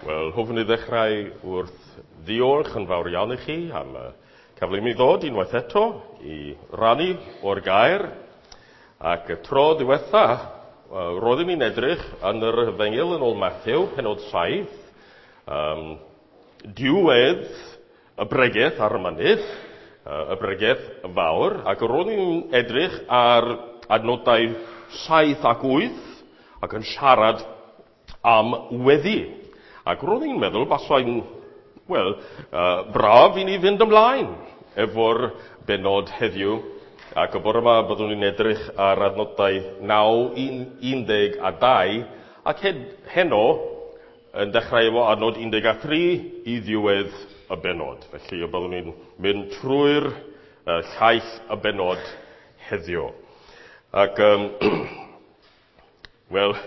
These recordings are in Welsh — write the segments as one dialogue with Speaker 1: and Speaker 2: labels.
Speaker 1: Wel, hoffwn i ddechrau wrth ddiolch yn fawr iawn i chi am y cyfle i mi ddod unwaith eto i rannu o'r gair. Ac y tro diwetha, roeddwn i'n edrych yn yr Efengyl yn ôl Matthew, penod 7, diwedd y bregeth ar y mynydd, y bregeth fawr, ac roeddwn i'n edrych ar adnodau 7 ac 8, ac yn siarad am weddi. Ac roeddwn i'n meddwl basai'n, wel, braf i ni fynd ymlaen efo'r benod heddiw. Ac y bore yma byddwn ni'n edrych ar adnodau 9, 12, ac heno yn dechrau efo adnod 13 i ddiwedd y benod. Felly y byddwn ni'n mynd trwy'r llaill y benod heddiw. Ac, wel,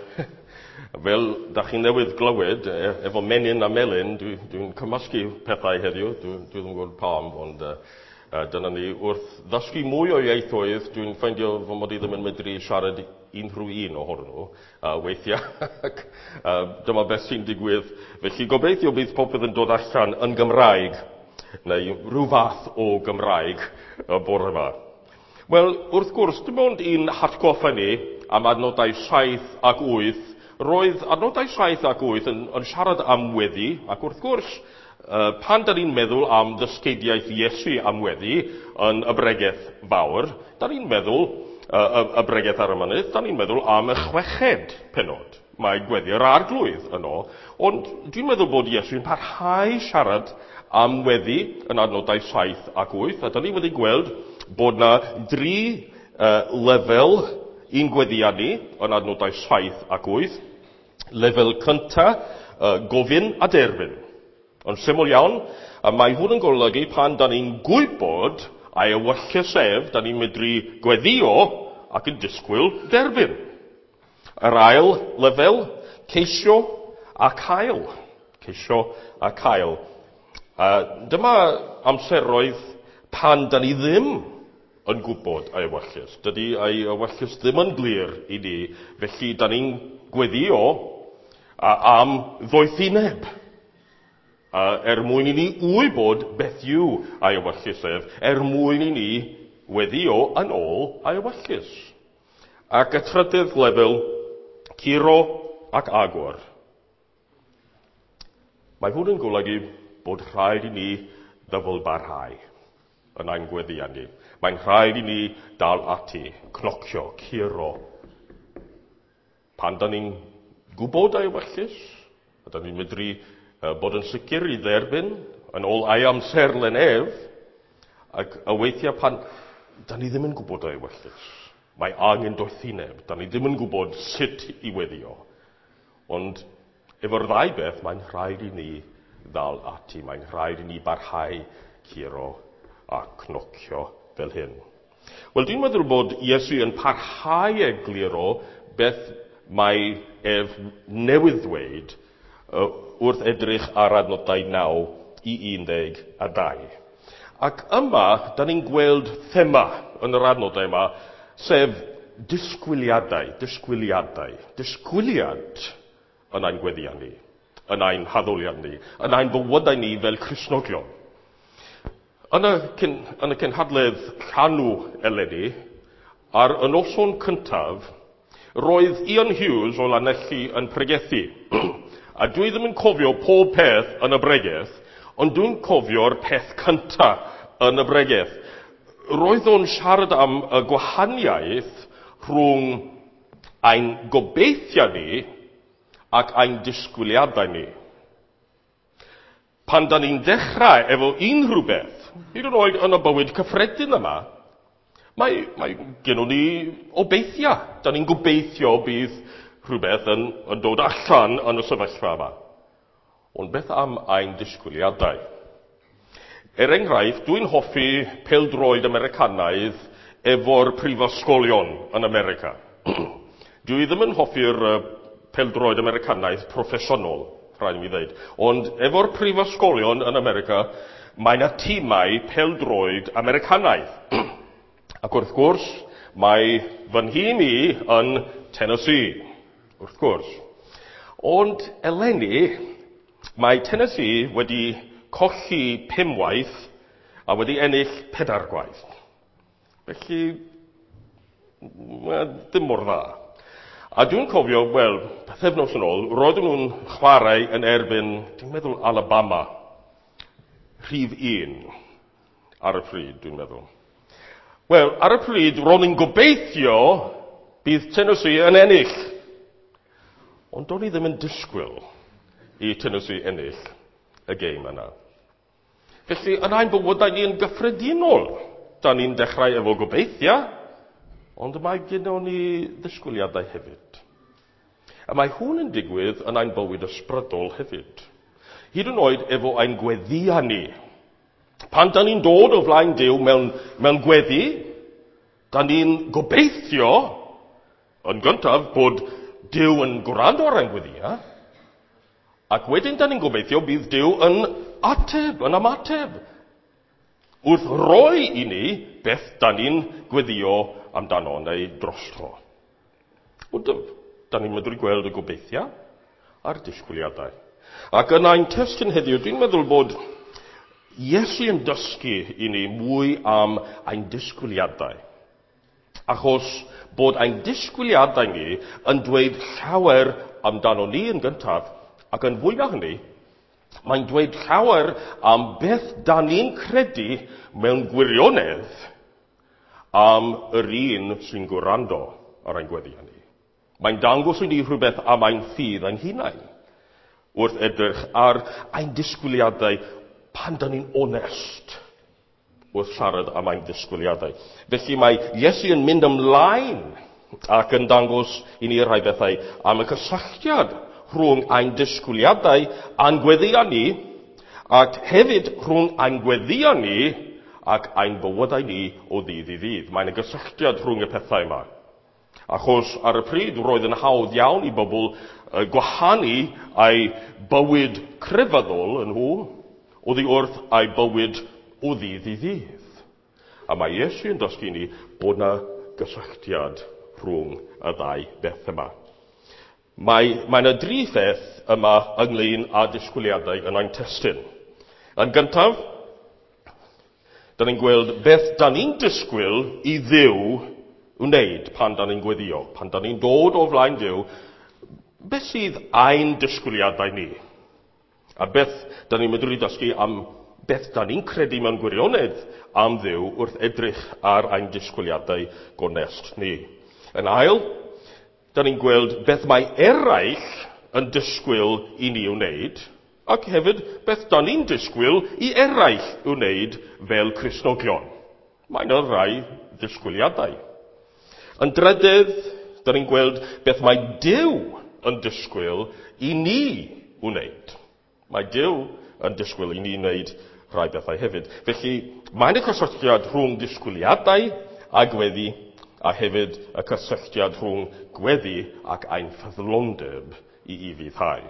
Speaker 1: fel da chi newydd glywed, efo menyn a melyn, dwi'n cymysgu pethau heddiw, dwi ddim yn gwybod pam, ond dyna ni. Wrth ddysgu mwy o ieithoedd, dwi'n ffeindio fy mod i ddim yn medru siarad unrhyw un ohonyn nhw, weithiau. Ac, dyma beth sy'n digwydd. Felly gobeithio bydd popeth yn dod allan yn Gymraeg, neu rhyw fath o Gymraeg y bore yma. Wel, wrth gwrs, dim ond un hatgoffa ni am adnodau 7 ac 8. Roedd adnodau 7 ac 8 yn siarad am weddi, ac wrth gwrs, pan da ni'n meddwl am ddysgeidiaeth Iesu am weddi yn y bregeth fawr, da ni'n meddwl, y bregeth ar y mynydd, da ni'n meddwl am y chweched penod. Mae gweddi'r arglwydd yno, ond dwi'n meddwl bod Iesu'n parhau siarad am weddi yn adnodau 7 ac 8, a da ni wedi gweld bod na dri lefel i'n gweddiau ni yn adnodau 7 ac 8. Lefel cynta, gofyn a derbyn. Ond syml iawn, a mae hwn yn golygu pan da ni'n gwybod a'i ewyllys ef, da ni'n medru gweddio ac yn disgwyl derbyn. Yr ail lefel, ceisio a cael. Ceisio a cael. Dyma amseroedd pan da ni ddim yn gwybod ei ewyllys. Dydy ei ewyllys ddim yn glir i ni, felly da ni'n gweddio am ddoethineb. Er mwyn i ni wybod beth yw ei ewyllys ef, er mwyn i ni weddio yn ôl ei ewyllys. Ac y trydydd lefel, curo ac agor. Mae hwn yn golygu bod rhaid i ni ddyfalbarhau yn ein gweddiau ni. Mae'n rhaid i ni dal ati, cnocio, curo. Pan da ni'n gwybod ei ewyllys, a da ni'n medru bod yn sicr i dderbyn yn ôl ei amserlen ef, ac y weithiau pan da ni ddim yn gwybod ei ewyllys, mae angen doethineb, da ni ddim yn gwybod sut i weddio. Ond efo'r ddau beth, mae'n rhaid i ni ddal ati, mae'n rhaid i ni barhau curo a cnocio fel hyn. Wel, dwi'n meddwl bod Iesu yn parhau egluro beth mae ef newydd ddweud wrth edrych ar adnodau 9 i 12. Ac yma, da ni'n gweld thema yn yr adnodau yma, sef disgwyliadau, disgwyliadau, disgwyliad yn ein gweddiau ni, yn ein haddoliad ni, yn ein bywydau ni fel Cristnogion. Yn y cynhadledd llanw eleni, ar y noson cyntaf, roedd Ian Hughes o Lanelli yn pregethu. A dwi ddim yn cofio pob peth yn y bregeth, ond dwi'n cofio'r peth cyntaf yn y bregeth. Roedd o'n siarad am y gwahaniaeth rhwng ein gobeithiau ni ac ein disgwyliadau ni. Pan da ni'n dechrau efo unrhyw beth, hyd yn oed yn y bywyd cyffredin yma, mae gennym ni obeithiau. Da ni'n gobeithio bydd rhywbeth yn dod allan yn y sefyllfa yma. Ond beth am ein disgwyliadau? Er enghraifft, dwi'n hoffi pêl-droed Americanaidd efo'r prifysgolion yn America. Dwi ddim yn hoffi'r pêl-droed Americanaidd proffesiynol, rhaid i mi ddweud. Ond efo'r prifysgolion yn America, mae yna tîmau pêl-droed Americanaidd. Ac wrth gwrs, mae fy nhîm i yn Tennessee, wrth gwrs. Ond eleni, Mae Tennessee wedi colli 5 waith a wedi ennill 4 gwaith. Felly, ddim mor dda. A dwi'n cofio, wel, pythefnos yn ôl, roedden nhw'n chwarae yn erbyn, dwi'n meddwl, Alabama. Rhif 1 ar y pryd, dwi'n meddwl. Wel, ar y pryd, ro'n i'n gobeithio bydd Tennessee yn ennill. Ond do'n i ddim yn disgwyl i Tennessee ennill y gêm yna. Felly, yn ein bywydau ni yn gyffredinol, da ni'n dechrau efo gobeithio, ond mae gyda ni ddisgwyliadau hefyd. A mae hwn yn digwydd yn ein bywyd ysbrydol hefyd. Hyd yn oed efo ein gweddïau ni. Pan da ni'n dod o flaen Duw mewn gweddi, da ni'n gobeithio yn gyntaf bod Duw yn gwrando ar ein gweddïau, ac wedyn da ni'n gobeithio bydd Duw yn ateb, yn ymateb, wrth roi i ni beth da ni'n gweddio amdano neu drosto. Ond da ni'n medru gweld y gobeithiau a'r disgwyliadau. Ac yn ein testun heddiw, dwi'n meddwl bod Iesu yn dysgu i ni mwy am ein disgwyliadau. Achos bod ein disgwyliadau ni yn dweud llawer amdano ni yn gyntaf, ac yn fwy na hynny, mae'n dweud llawer am beth da ni'n credu mewn gwirionedd am yr un sy'n gwrando ar ein gweddi ni. Mae'n dangos i ni rhywbeth am ein ffydd ein hunain wrth edrych ar ein disgwyliadau pan da ni'n onest wrth siarad am ein disgwyliadau. Felly mae Iesu yn mynd ymlaen ac yn dangos i ni rhai bethau am y cysylltiad rhwng ein disgwyliadau a'n gweddïau ni, ac hefyd rhwng ein gweddïau ni ac ein bywydau ni o ddydd i ddydd. Mae'n y gysylltiad rhwng y pethau yma. Achos ar y pryd roedd yn hawdd iawn i bobl gwahanu ei bywyd crefyddol yn nhw oddi wrth ei bywyd o ddydd i ddydd. A mae Iesu yn dysgu ni bod yna gysylltiad rhwng y ddau beth yma. Mae yna dri pheth yma ynglyn â disgwyliadau yn ein testun. Yn gyntaf, da ni'n gweld beth da ni'n disgwyl i Dduw wneud pan da ni'n gweddio. Pan da ni'n dod o flaen Duw, beth sydd ein disgwyliadau ni? A beth da ni'n medru dysgu am beth da ni'n credu mewn gwirionedd am Dduw wrth edrych ar ein disgwyliadau gonest ni. Yn ail, da ni'n gweld beth mae eraill yn disgwyl i ni wneud, ac hefyd beth da ni'n disgwyl i eraill wneud fel Cristnogion. Mae yna rai disgwyliadau. Yn drydydd, da ni'n gweld beth mae Duw yn disgwyl i ni wneud. Mae Duw yn disgwyl i ni wneud rhai bethau hefyd. Felly, mae'n y cysylltiad rhwng disgwyliadau a gweddi, a hefyd y cysylltiad rhwng gweddi ac ein ffyddlondeb i ufuddhau.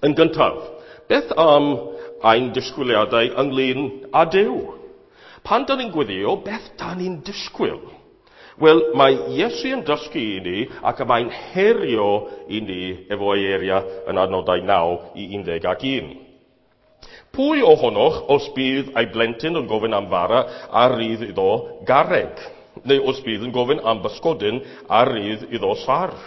Speaker 1: Yn gyntaf, beth am ein disgwyliadau ynglyn â Duw? Pan da ni'n gweddio, beth da ni'n disgwyl? Wel, mae Iesu yn dysgu i ni ac y mae'n herio i ni efo ei eiriau yn adnodau 9 i 11. Pwy ohonoch os bydd ei blentyn yn gofyn am fara a rydd iddo garreg? Neu os bydd yn gofyn am bysgodyn a rydd iddo sarff?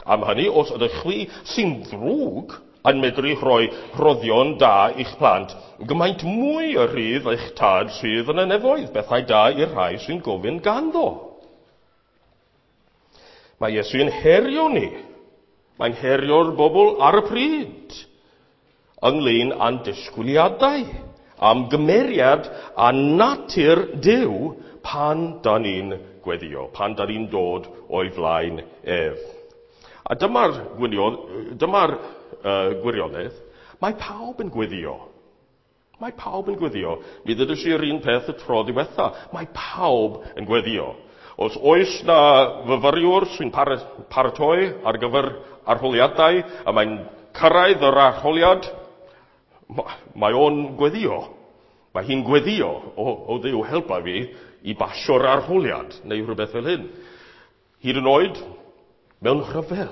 Speaker 1: Am hynny, os ydych chwi sy'n ddrwg yn medru rhoi rhoddion da i'ch plant, gymaint mwy y rhydd eich tad sydd yn y nefoedd, bethau da i'r rhai sy'n gofyn ganddo. Mae Iesu yn herio ni. Mae'n herio'r bobl ar y pryd ynglyn â'n disgwyliadau am gymeriad a natur Duw pan da ni'n gweddio, pan da ni'n dod o'i flaen ef. A dyma'r gwirionedd, mae pawb yn gweddio. Mae pawb yn gweddio. Mi ddydys i'r un peth y tro diwetha. Mae pawb yn gweddio. Os oes na fyfyriwr sy'n paratoi ar gyfer arholiadau a mae'n cyrraedd yr arholiad, mae o'n gweddio. Mae hi'n gweddio o Dduw helpa fi i basio'r arholiad neu rhywbeth fel hyn. Hyd yn oed mewn rhyfel.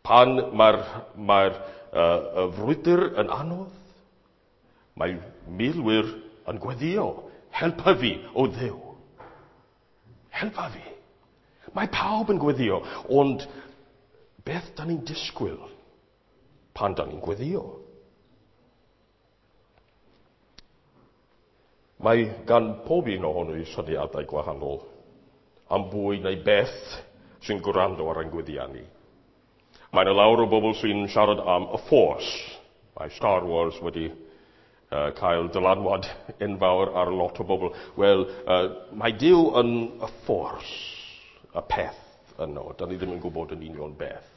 Speaker 1: Pan mae'r y frwydr yn anodd, mae milwyr yn gweddio. Helpa fi, o Dduw. Helpa fi. Mae pawb yn gweddio, ond beth da ni'n disgwyl pan da ni'n gweddio? Mae gan pob un ohono i syniadau gwahanol am bwy neu beth sy'n gwrando ar ein gweddiau ni. Mae yna lawer o bobl sy'n siarad am y Force. Mae Star Wars wedi cael dylanwad enfawr ar lot o bobl. Wel, mae Duw yn y Force, y peth yno. Da ni ddim yn gwybod yn union beth.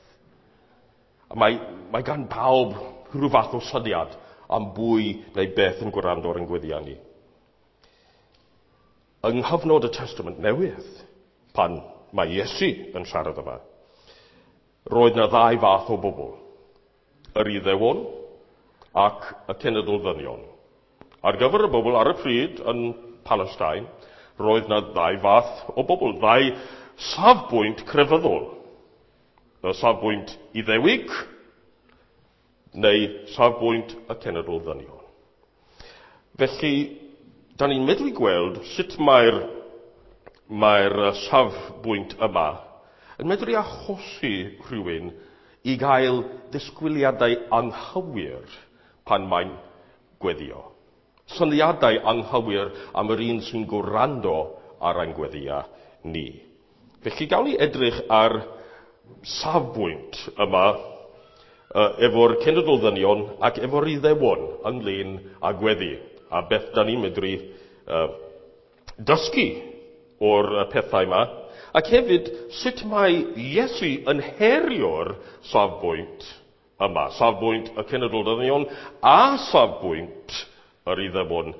Speaker 1: A mae gan pawb rhyw fath o syniad am bwy neu beth yn gwrando ar ein gweddiau ni. Yng nghyfnod y Testament Newydd, pan mae Iesu yn siarad yma, roedd yna ddau fath o bobl, yr Iddewon ac y cenedl ddynion. Ar gyfer y bobl ar y pryd yn Palestine, roedd yna ddau fath o bobl, ddau safbwynt crefyddol. Y safbwynt Iddewig neu safbwynt y cenedl ddynion. Felly, da ni'n medru gweld sut mae'r safbwynt yma yn medru achosi rhywun i gael disgwyliadau anghywir pan mae'n gweddio. Syniadau anghywir am yr un sy'n gwrando ar ein gweddia ni. Felly gawn ni edrych ar safbwynt yma efo'r cenedl ddynion ac efo'r Iddewon ynglyn â gweddi, a beth da ni'n medru dysgu o'r pethau yma, ac hefyd sut mae Iesu yn herio'r safbwynt yma, safbwynt y cenedl ddynion a safbwynt yr Iddewon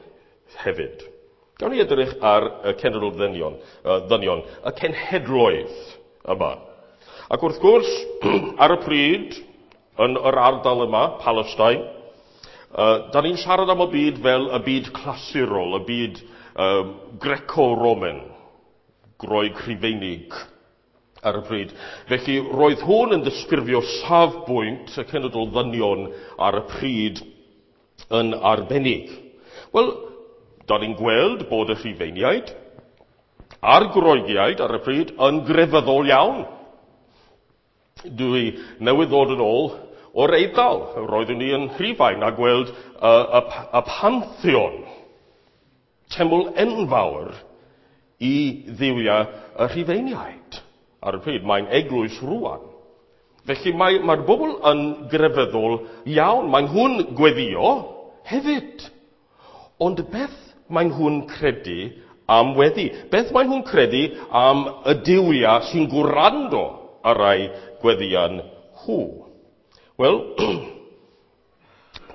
Speaker 1: hefyd. Gawn ni edrych ar y cenedl ddynion, y cenhedloedd yma. Ac wrth gwrs, ar y pryd, yn yr ardal yma, Palestine, da ni'n siarad am y byd fel y byd clasurol, y byd Greco-Roman, Groeg Rhufeinig ar y pryd. Felly, roedd hwn yn disgrifio safbwynt y cenedl ddynion ar y pryd yn arbennig. Wel, da ni'n gweld bod y Rhufeiniaid a'r Groegiaid ar y pryd yn grefyddol iawn. Dwi newydd ddod yn ôl o'r Eidal. Roeddwn ni yn Rhufain a gweld y Pantheon, teml enfawr i dduwiau y Rhufeiniaid. Ar y pryd, mae'n eglwys rwan. Felly mae'r bobl yn grefyddol iawn. Mae nhw'n gweddio hefyd. Ond beth mae nhw'n credu am weddi? Beth mae nhw'n credu am y duwiau sy'n gwrando ar rai gweddian nhw? Wel,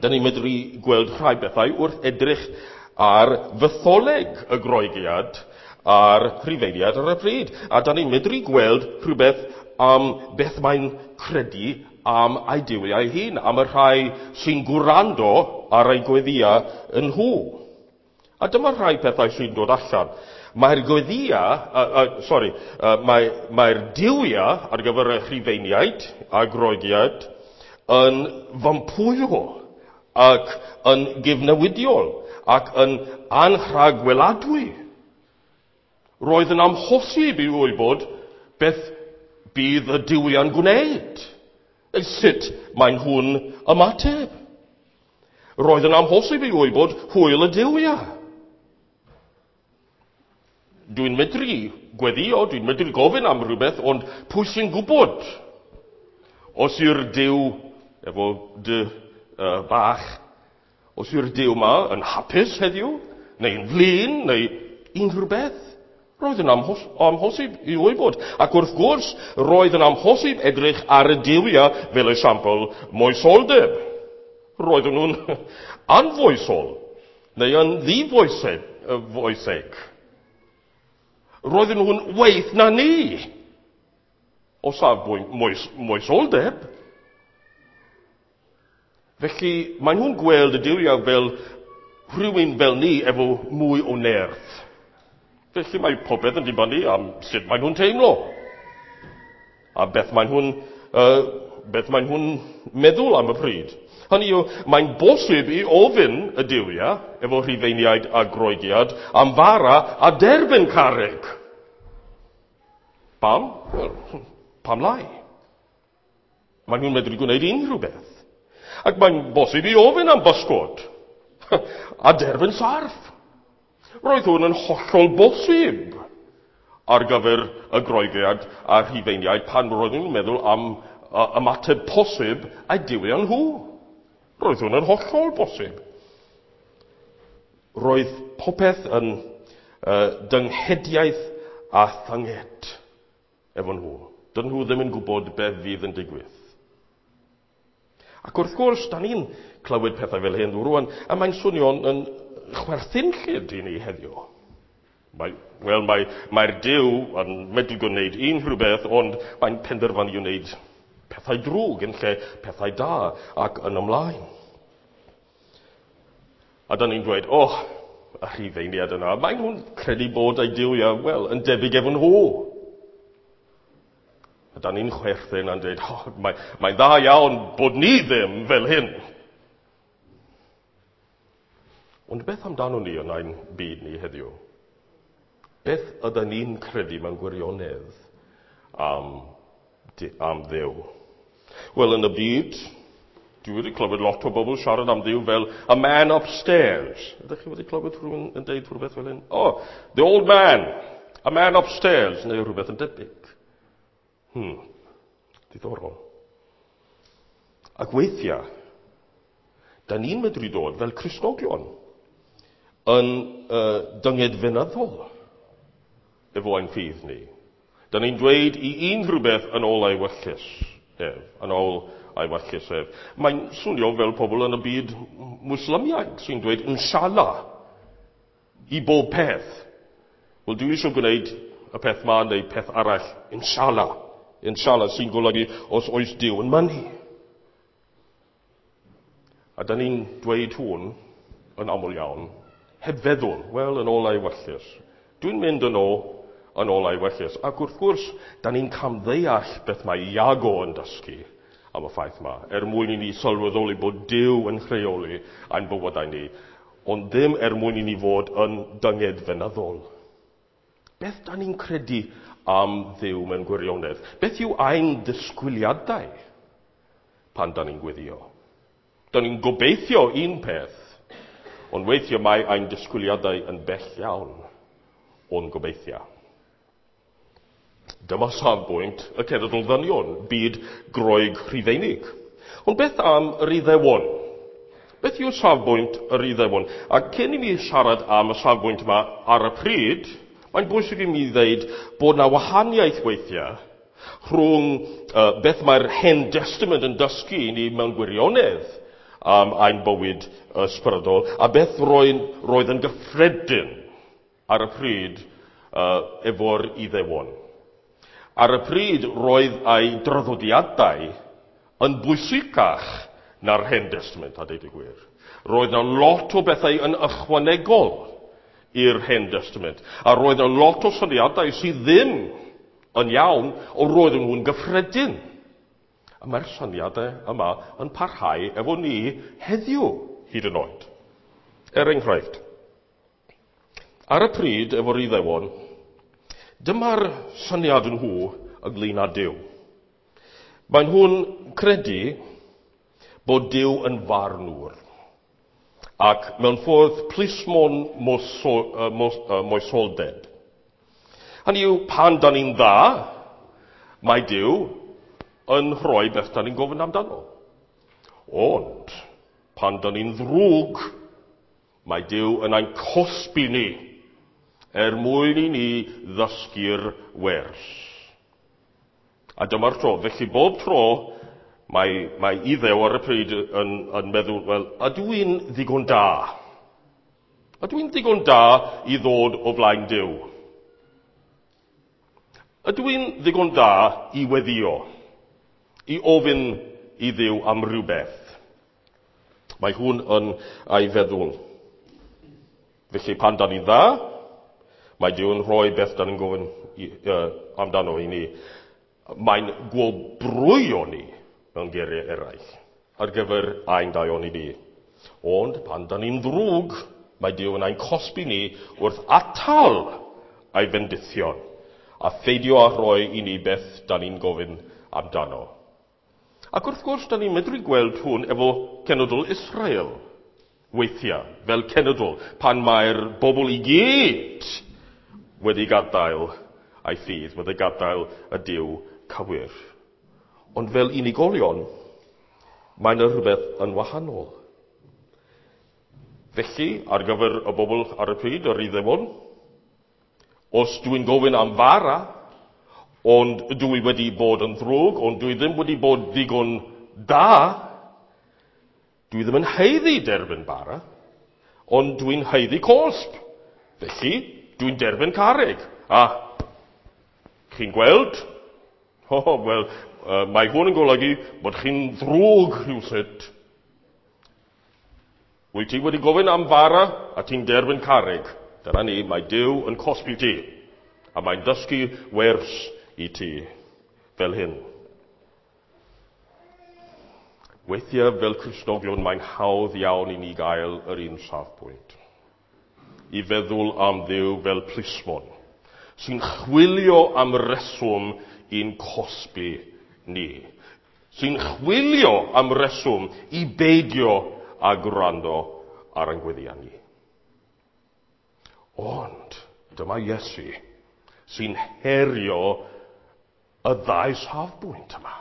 Speaker 1: da ni'n medru gweld rhai bethau wrth edrych ar fytholeg y Groegiad a'r Rhufeiniad ar y pryd. A da ni'n medru gweld rhywbeth am beth mae'n credu am ei duwiau hun, am y rhai sy'n gwrando ar ei gweddiau yn nhw. A dyma rhai pethau sy'n dod allan. Mae'r gweddia, mae'r duwiau ar gyfer y Rhufeiniaid a Groegiaid yn fympwyol ac yn gyfnewidiol ac yn anrhagweladwy. Roedd yn amhosib i wybod beth bydd y duwiau'n gwneud, neu sut maen nhw'n ymateb. Roedd yn amhosib i wybod hwyl y duwiau. Dwi'n medru gweddio, dwi'n medru gofyn am rhywbeth, ond pwy sy'n gwybod? Os yw'r Duw, efo dy bach, os yw'r Duw yma yn hapus heddiw, neu'n flin, neu unrhyw beth, roedd yn amhosib i wybod. Ac wrth gwrs, roedd yn amhosib edrych ar y duwiau fel esiampl moesoldeb. Roedden nhw'n anfoesol, neu yn ddifoeseg. Roedden nhw'n waeth na ni o safbwynt moesoldeb. Felly, maen nhw'n gweld y duwiau fel rhywun fel ni efo mwy o nerth. Felly mae popeth yn dibynnu am sut maen nhw'n teimlo. A beth maen nhw'n beth maen nhw'n meddwl am y pryd. Hynny yw, mae'n bosib i ofyn y duwiau, efo Rhufeiniaid a Groegiad, am fara a derbyn carreg. Pam? Wel, pam lai? Maen nhw'n medru gwneud unrhyw beth. Ac mae'n bosib i ofyn am bysgod a derbyn sarff. Roedd hwn yn hollol bosib ar gyfer y Groegiad a Rhufeiniaid pan roedden nhw'n meddwl am ymateb posib a'u duwiau nhw. Roedd hwn yn hollol bosib. Roedd popeth yn dynghediaeth a thynged efo nhw. Dyn nhw ddim yn gwybod beth fydd yn digwydd. Ac wrth gwrs, da ni'n clywed pethau fel hyn rwan, a mae'n swnio'n yn chwerthinllyd i ni heddiw. Mae'r mae, mae Duw yn medru gwneud unrhyw beth, ond mae'n penderfynu wneud pethau drwg yn lle pethau da ac yn ymlaen. A da ni'n dweud, oh, y Rhufeiniaid yna, maen nhw'n credu bod eu duwiau, wel, yn debyg efo nhw. A da ni'n chwerthin a'n dweud, oh, mae'n mae dda iawn bod ni ddim fel hyn. Ond beth amdano ni yn ein byd ni heddiw? Beth ydyn ni'n credu mewn gwirionedd am, am Dduw? Wel, yn y byd, dwi wedi clywed lot o bobl siarad am Dduw fel a man upstairs. Ydych chi wedi clywed rhywun yn deud rhywbeth fel hyn? Oh, the old man, a man upstairs, neu rhywbeth yn debyg. Diddorol. Ac weithiau, da ni'n medru dod fel Cristnogion yn dyngedfenyddol efo ein ffydd ni. Da ni'n dweud i unrhyw beth yn ôl ei ewyllys ef, yn ôl ei ewyllys ef. Mae'n swnio fel pobl yn y byd Mwslimiaid sy'n dweud inshallah i bob peth. Wel, dwi eisiau gwneud y peth ma neu peth arall, inshallah. Inshallah sy'n golygu os oes Duw yn mynnu. A da ni'n dweud hwn yn aml iawn, heb feddwl, wel, yn ôl ei ewyllys. Dwi'n mynd yn ôl, yn ôl ei ewyllys. Ac wrth gwrs, da ni'n camddeall beth mae Iago yn dysgu am y ffaith yma, er mwyn i ni sylweddoli bod Duw yn rheoli ein bywydau ni, ond ddim er mwyn i ni fod yn dyngedfenyddol. Beth da ni'n credu am Dduw mewn gwirionedd? Beth yw ein disgwyliadau pan da ni'n gweddio? Da ni'n gobeithio un peth, ond weithio mae ein disgwyliadau yn bell iawn o'n gobeithio. Dyma safbwynt y cenedl ddynion, byd Groeg Rhufeinig. Ond beth am yr Iddewon? Beth yw safbwynt yr Iddewon? A cyn i mi siarad am y safbwynt yma ar y pryd, mae'n bwysig i mi ddeud bod na wahaniaeth weithiau rhwng beth mae'r Hen Testament yn dysgu i ni mewn gwirionedd am ein bywyd ysbrydol, a beth roedd yn gyffredin ar y pryd efo'r Iddewon. Ar y pryd roedd ei draddodiadau yn bwysicach na'r Hen Testament, a deud y gwir. Roedd yna lot o bethau yn ychwanegol i'r Hen Testament, a roedd yna lot o syniadau sydd ddim yn iawn, ond roedden nhw'n gyffredin. A mae'r syniadau yma yn parhau efo ni heddiw, hyd yn oed. Er enghraifft, ar y pryd efo'r Iddewon, dyma'r syniad nhw ynglyn â Duw. Maen nhw'n credu bod Duw yn farnwr, ac mewn ffordd plismon moesoldeb. Hynny yw, pan da ni'n dda, mae Duw yn rhoi beth da ni'n gofyn amdano. Ond, pan da ni'n ddrwg, mae Duw yn ein cosbi ni er mwyn i ni ddysgu'r wers. A dyma'r tro. Felly bob tro mae, mae Iddew ar y pryd yn, yn meddwl, wel, ydw i'n ddigon da? Ydw i'n ddigon da i ddod o flaen Duw? Ydw i'n ddigon da i weddio? I ofyn i Dduw am rhywbeth? Mae hwn yn ei feddwl. Felly pan da ni'n dda, mae Duw yn rhoi beth da ni'n gofyn i, amdano i ni. Mae'n gwobrwyo ni mewn geiriau eraill, ar gyfer ein daioni ni. Ond pan da ni'n ddrwg, mae Duw yn ein cosbi ni wrth atal ei fendithion a pheidio â rhoi i ni beth da ni'n gofyn amdano. Ac wrth gwrs, da ni'n medru gweld hwn efo cenedl Israel weithiau, fel cenedl, pan mae'r bobl i gyd wedi gadael ei ffydd, wedi gadael y Duw cywir. Ond fel unigolion, mae yna rhywbeth yn wahanol. Felly, ar gyfer y bobl ar y pryd, yr Iddewon, os dwi'n gofyn am fara, ond dwi wedi bod yn ddrwg, ond dwi ddim wedi bod ddigon da, dwi ddim yn haeddu derbyn bara, ond dwi'n haeddu cosb. Felly, dwi'n derbyn carreg. A, chi'n gweld? O, oh, wel, mae hwn yn golygu bod chi'n ddrwg rhywsut. Wyt ti wedi gofyn am fara a ti'n derbyn carreg. Dyna ni, mae Duw yn cosbi ti. A mae'n dysgu wers i ti fel hyn. Weithiau fel Cristnogion mae'n hawdd iawn i ni gael yr un safbwynt. I feddwl am Dduw fel plismon, sy'n chwilio am reswm i'n cosbi ni. Sy'n chwilio am reswm i beidio â gwrando ar ein gweddïau ni. Ond dyma Iesu sy'n herio y ddau safbwynt yma.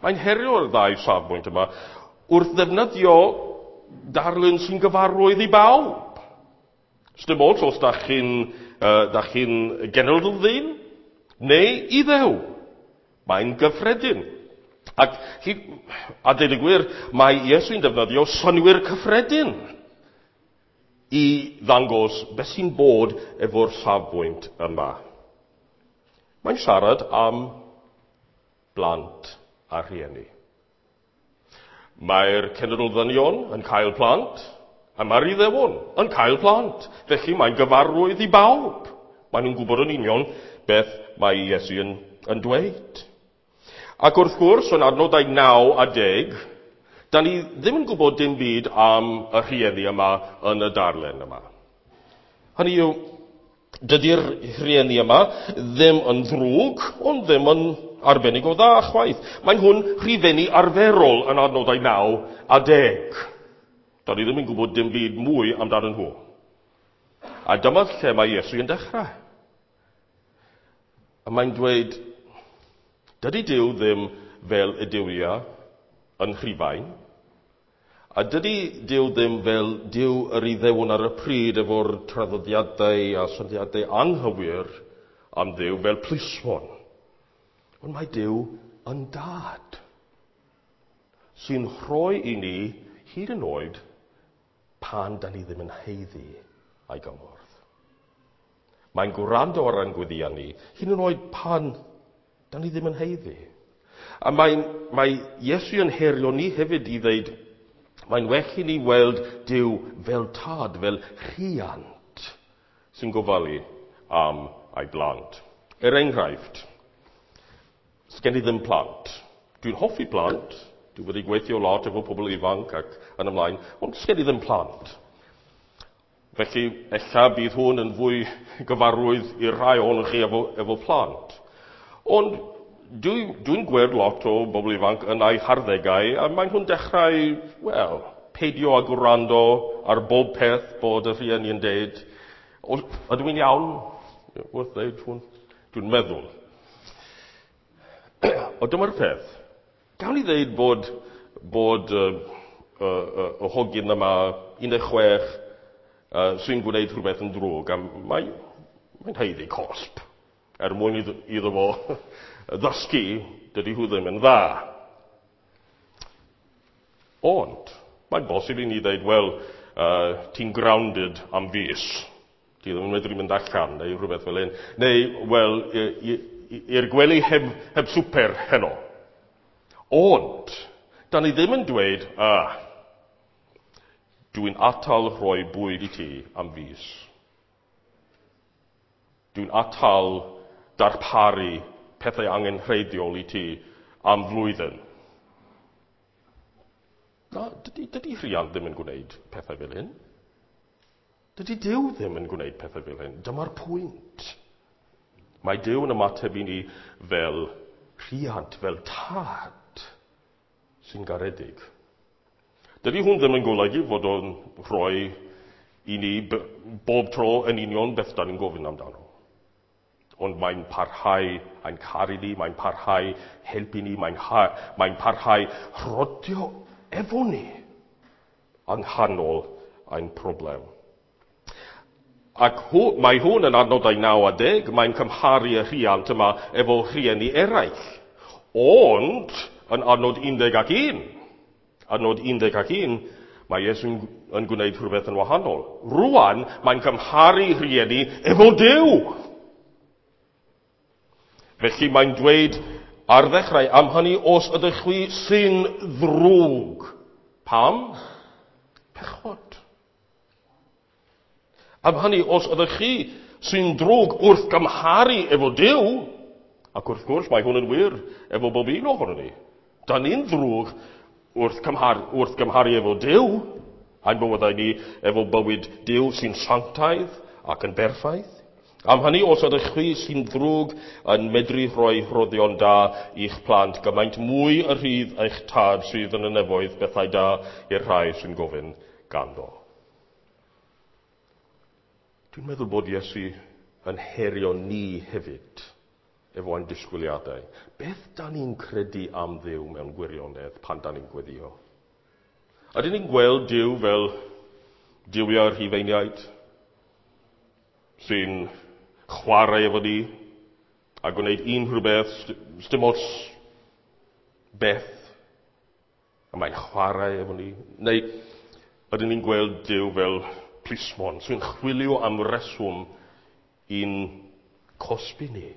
Speaker 1: Mae'n herio'r ddau safbwynt yma wrth ddefnyddio darlun sy'n gyfarwydd i bawb. Sdim ots os da chi'n da chi'n genedl ddyn neu Iddew. Mae'n gyffredin. Ac, a deud y gwir, mae Iesu'n defnyddio synnwyr cyffredin i ddangos beth sy'n bod efo'r safbwynt yma. Mae'n siarad am blant a rhieni. Mae'r cenedl ddynion yn cael plant, a mae'r Iddewon yn cael plant. Felly mae'n gyfarwydd i bawb. Maen nhw'n gwybod yn union beth mae Iesu yn dweud. Ac wrth gwrs, yn adnodau 9 a 10, da ni ddim yn gwybod dim byd am y rhieni yma yn y darllen yma. Hynny yw, dydy'r rhieni yma ddim yn ddrwg, ond ddim yn arbennig o dda chwaith. Mae nhw'n rhifenni arferol yn adnodau 9 a 10. Da ni ddim yn gwybod dim byd mwy amdanyn nhw. A dyma lle mae Iesu yn dechrau. A mae'n dweud, dydy Duw ddim fel y duwiau yn Rhufain, a dydy Duw ddim fel Duw yr Iddewon ar y pryd efo'r traddodiadau a syniadau anghywir am Dduw fel plismon. Ond mae Duw yn dad sy'n rhoi i ni hyd yn oed pan da ni ddim yn haeddu ei gymorth. Mae'n gwrando ar ein gweddïau ni, hyd yn oed pan da ni ddim yn haeddu. A mae Iesu yn herio ni hefyd i ddeud, mae'n well i ni weld Duw fel tad, fel rhiant sy'n gofalu am ei blant. Er enghraifft, sgen i ddim plant. Dwi'n hoffi plant, dwi wedi gweithio lot efo pobl ifanc ac yn ymlaen, ond sgen i ddim plant. Felly, ella bydd hwn yn fwy gyfarwydd i'r rhai ohonoch chi efo plant. Ond dwi'n gweld lot o bobl ifanc yn eu harddegau, a maen nhw'n dechrau, wel, peidio â gwrando ar bob peth bod y rhieni yn deud. Ydw i'n iawn wrth ddeud hwn? Dwi'n meddwl. O, dyma'r peth. Gawn ni ddeud bod y hogyn yma, 16, sy'n gwneud rhywbeth yn ddrwg, a mae'n haeddu cosb, er mwyn iddo fo ddysgu, dydy hw ddim yn dda. Ond, mae'n bosib i ni ddeud, wel, ti'n grounded am fis. Ti ddim yn medru mynd allan, neu rhywbeth fel hyn. Neu, wel, i'r gwely heb swper heno. Ond, da ni ddim yn dweud, dwi'n atal rhoi bwyd i ti am fis. Dwi'n atal darparu pethau angenrheidiol i ti am flwyddyn. Na, dydy rhiant ddim yn gwneud pethau fel hyn. Dydy Duw ddim yn gwneud pethau fel hyn. Dyma'r pwynt. Mae Duw yn ymateb i ni fel rhiant, fel tad sy'n garedig. Dydy hwn ddim yn golygu fod o'n rhoi i ni bob tro yn union beth da ni'n gofyn amdano. Ond mae'n parhau ein caru ni, mae'n parhau helpu ni, mae'n parhau rhodio efo ni yng nghanol ein problem. Ac mae hwn yn adnodau 9 a 10, mae'n cymharu y rhiant yma efo rhieni eraill. Ond, yn adnod 11, adnod 11, mae Iesu'n yn gwneud rhywbeth yn wahanol. Rwan, mae'n cymharu rhieni efo Duw. Felly mae'n dweud ar ddechrau, am hynny os ydych chwi sy'n ddrwg. Pam? Pechod. Am hynny, os ydych chi sy'n drwg wrth gymharu efo Duw, ac wrth gwrs mae hwn yn wir efo bob un ohono ni. Da ni'n ddrwg wrth gymharu efo Duw, a'n bywydau ni efo bywyd Duw sy'n sanctaidd ac yn berffaith. Am hynny, os ydych chi sy'n ddrwg yn medru rhoi rhoddion da i'ch plant, gymaint mwy y rhydd eich tad sydd yn y nefoedd bethau da i'r rhai sy'n gofyn ganddo. Dwi'n meddwl bod Iesu yn herio ni hefyd efo ein disgwyliadau. Beth da ni'n credu am Dduw mewn gwirionedd pan da ni'n gweddio? Ydyn ni'n gweld Duw fel duwiau'r Rhufeiniaid sy'n chwarae efo ni a gwneud unrhyw beth, dim ots beth, a mae'n chwarae efo ni? Neu ydyn ni'n gweld Duw fel plismon sy'n chwilio am reswm i'n cosbi ni?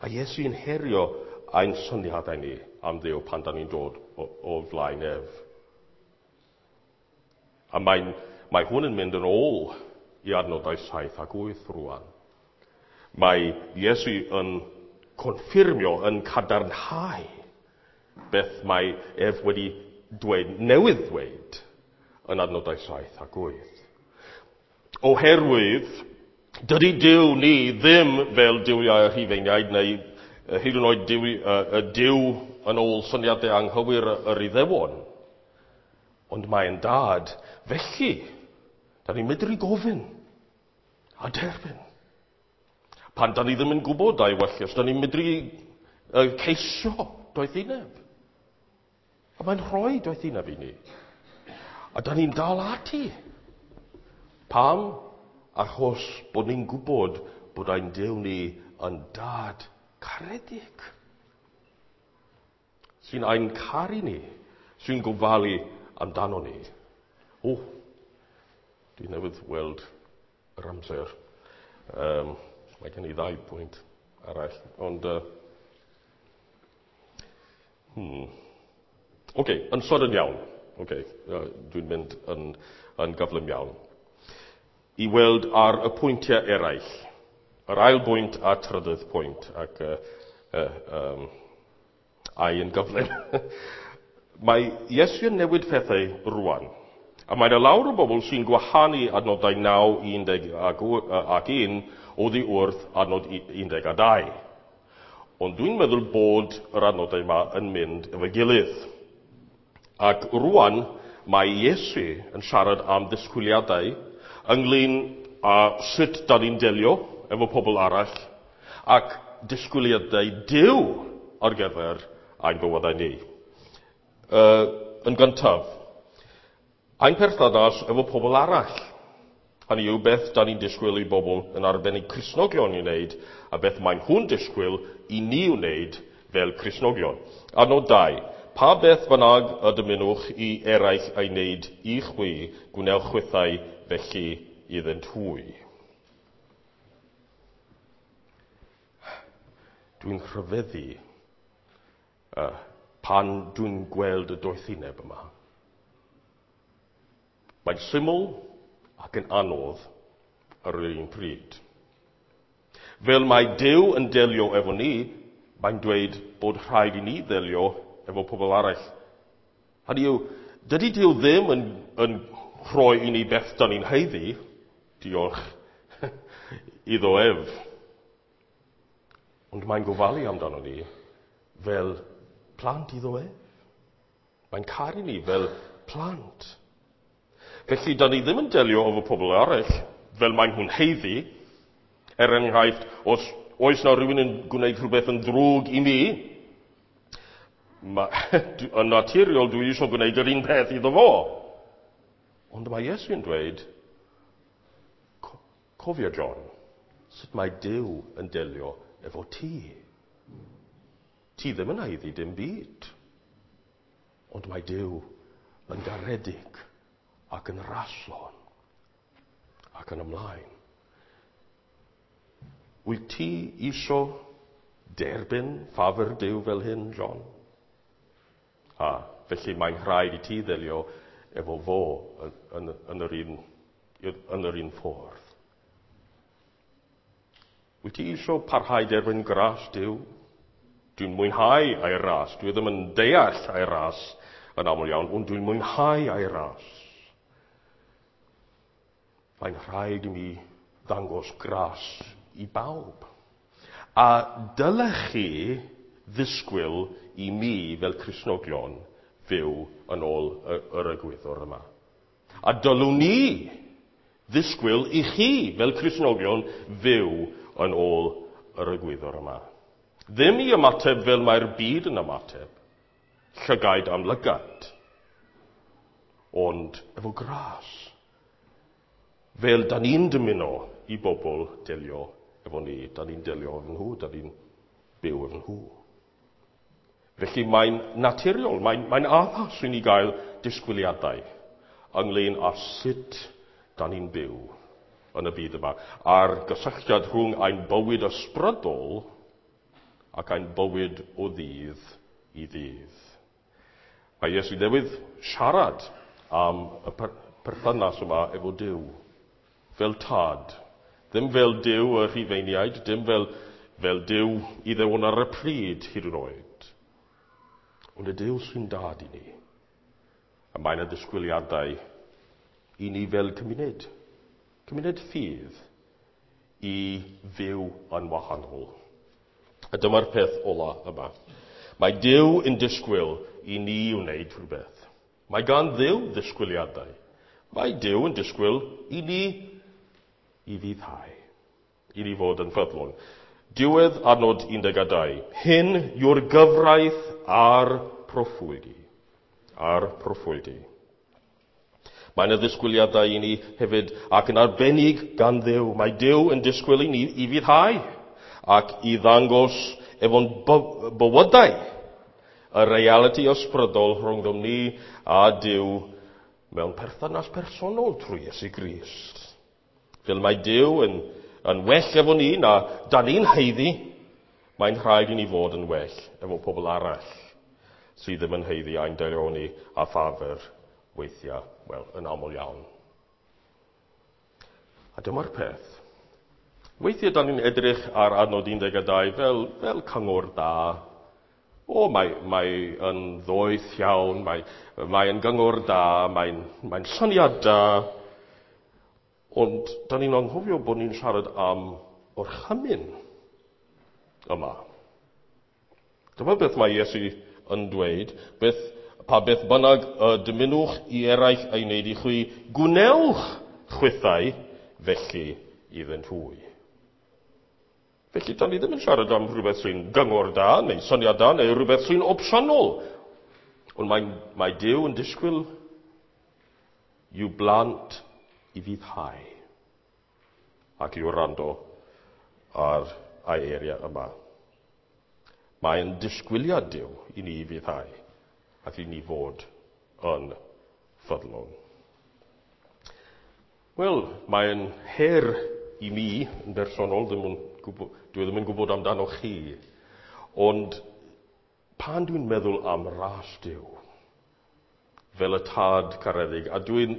Speaker 1: A Iesu'n herio ein syniadau ni am Dduw pan da ni'n dod o flaen ef. A mae hwn yn mynd yn ôl i adnodau 7 ac 8 rwan. Mae Iesu yn confirmio, yn cadarnhau beth mae ef wedi dweud, newydd ddweud yn adnodau 7 ac 8. Oherwydd, dydy Duw ni ddim fel duwiau y Rhufeiniaid neu hyd yn oed Duw yn ôl syniadau anghywir yr Iddewon. Ond mae'n dad. Felly, da ni'n medru gofyn a derbyn. Pan da ni ddim yn gwybod a'i wellus, da ni'n medru ceisio doethineb. A mae'n rhoi doethineb i ni. A da ni'n dal ati. Pam? Achos bod ni'n gwybod bod ein Duw ni yn dad caredig. Sy'n ein caru ni, sy'n gofalu amdano ni. O, dwi newydd weld yr amser. Mae gen i 2 pwynt arall, ond... Oce, yn sydyn iawn. Oce, dwi'n mynd yn gyflym iawn. I weld ar y pwyntiau eraill. Yr ail bwynt a trydydd pwynt, ac ai yn gyflym. Mae Iesu yn newid pethau rwan. A mae yna lawer o bobl sy'n gwahanu adnodau 9, 11 oddi wrth adnod 12. Ond dwi'n meddwl bod yr adnodau yma yn mynd efo'i gilydd. Ac rwan mae Iesu yn siarad am ddisgwyliadau ynglyn â sut da ni'n delio efo pobl arall ac disgwyliadau Duw ar gyfer ein bywydau ni. Yn gyntaf, ein perthynas efo pobl arall. Hynny yw beth da ni'n disgwyl i bobl yn arbennig Cristnogion i wneud a beth maen nhw'n disgwyl i ni wneud fel Cristnogion. Adnod 2. Pa beth bynnag y dymunwch i eraill ei wneud i chwi, gwnewch chwithau felly iddynt hwy. Dwi'n rhyfeddu pan dwi'n gweld y doethineb yma. Mae'n syml ac yn anodd ar yr un pryd. Fel mae Duw yn delio efo ni, mae'n dweud bod rhaid i ni ddelio efo pobl arall Hynny yw, dydy Duw ddim yn rhoi i ni beth da ni'n haeddu, diolch iddo ef. Ond mae'n gofalu amdano ni fel plant iddo ef. Mae'n caru ni fel plant. Felly, da ni ddim yn delio efo pobl eraill fel maen nhw'n haeddu. Er enghraifft, os oes na rhywun yn gwneud rhywbeth yn ddrwg i mi, yn naturiol dwi eisiau gwneud yr un peth iddo fo. Ond mae Iesu'n dweud, cofio John, sut mae Duw yn delio efo ti. Ti ddim yn haeddu dim byd. Ond mae Duw yn garedig ac yn raslon ac yn ymlaen. Wyt ti isio derbyn ffafr Duw fel hyn, John? A felly mae'n rhaid i ti ddelio efo fo yn yr un ffordd. Wyt ti isio parhau derbyn gras Duw? Dwi'n mwynhau ei ras. Dwi ddim yn deall ei ras yn aml iawn, ond dwi'n mwynhau ei ras. Mae'n rhaid i mi ddangos gras i bawb. A dylech chi ddisgwyl i mi fel Cristnogion fyw yn ôl yr egwyddor yma. A dylwn ni ddisgwyl i chi fel Cristnogion fyw yn ôl yr egwyddor yma. Ddim i ymateb fel mae'r byd yn ymateb, llygaid am lygad, ond efo gras. Fel da ni'n dymuno i bobl delio efo ni, da ni'n delio efo nhw, da ni'n byw efo nhw. Felly mae'n naturiol, mae'n addas i ni gael disgwyliadau ynglyn â sut da ni'n byw yn y byd yma, a'r gysylltiad rhwng ein bywyd ysbrydol ac ein bywyd o ddydd i ddydd. Mae Iesu newydd siarad am y perthynas yma efo Duw, fel tad. Ddim fel Duw y Rhufeiniaid, dim fel Duw Iddewon ar y pryd hyd yn oed. Ond y Duw sy'n dad i ni. A mae yna ddisgwyliadau i ni fel cymuned, cymuned ffydd, i fyw yn wahanol. A dyma'r peth ola yma. Mae Duw yn disgwyl i ni wneud rhywbeth. Mae gan Dduw ddisgwyliadau. Mae Duw yn disgwyl i ni i fuddhau, i ni fod yn ffyddlon. Diwedd adnod 12. Hyn yw'r gyfraith a'r proffwydi. A'r proffwydi. Mae yna ddisgwyliadau i ni hefyd ac yn arbennig gan Dduw. Mae Duw yn disgwyl i ni i fuddhau ac i ddangos efo'n bywydau y realiti ysbrydol rhwngddom ni a Duw mewn perthynas personol trwy Iesu Grist. Fel mae Duw yn well efo ni na da ni'n haeddu, mae'n rhaid i ni fod yn well efo pobl arall sydd ddim yn haeddu ein daioni a ffafr weithiau, wel, yn aml iawn. A dyma'r peth. Weithiau da ni'n edrych ar adnod 12 fel cyngor da. O, mae yn ddoeth iawn, mae yn gyngor da, mae'n syniad da. Ond da ni'n anghofio bod ni'n siarad am orchymyn yma. Dyma beth mae Iesu yn dweud, pa beth bynnag y dymunwch i eraill ei wneud i chwi, gwnewch chwithau felly iddynt hwy. Felly, da ni ddim yn siarad am rhywbeth sy'n gyngor da, neu syniad da, neu rhywbeth sy'n opsiynol. Ond mae Duw yn disgwyl i'w blant i fuddhau ac i wrando ar ei eiriau yma. Mae'n disgwyliad Duw i ni fuddhau ac i ni fod yn ffyddlon. Wel, mae'n her i mi yn bersonol, dwi ddim yn gwybod amdano chi, ond pan dwi'n meddwl am ras Duw, fel y tad caredig, a dwi'n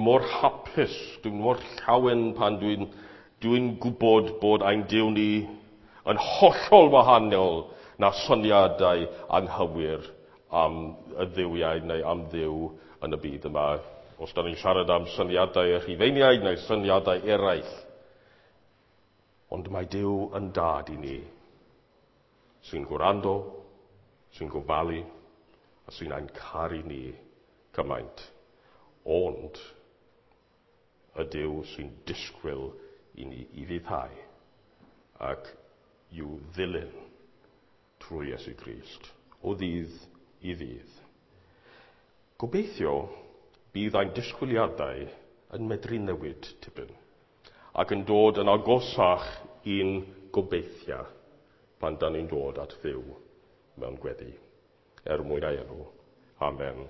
Speaker 1: mor hapus, dwi'n mor llawen pan dwi'n gwybod bod ein Duw ni yn hollol wahanol na syniadau anghywir am y dduwiau neu am Dduw yn y byd yma. Os da ni'n siarad am syniadau y Rhufeiniaid neu syniadau eraill. Ond mae Duw yn dad i ni, sy'n gwrando, sy'n gofalu, a sy'n ein caru ni cymaint. Ond y Duw sy'n disgwyl i ni ufuddhau ac i'w ddilyn trwy Iesu Grist o ddydd i ddydd. Gobeithio bydd ein disgwyliadau yn medru newid tipyn ac yn dod yn agosach i'n gobeithia pan dan ni'n dod at Dduw mewn gweddi. Er mwyn ei enw. Amen.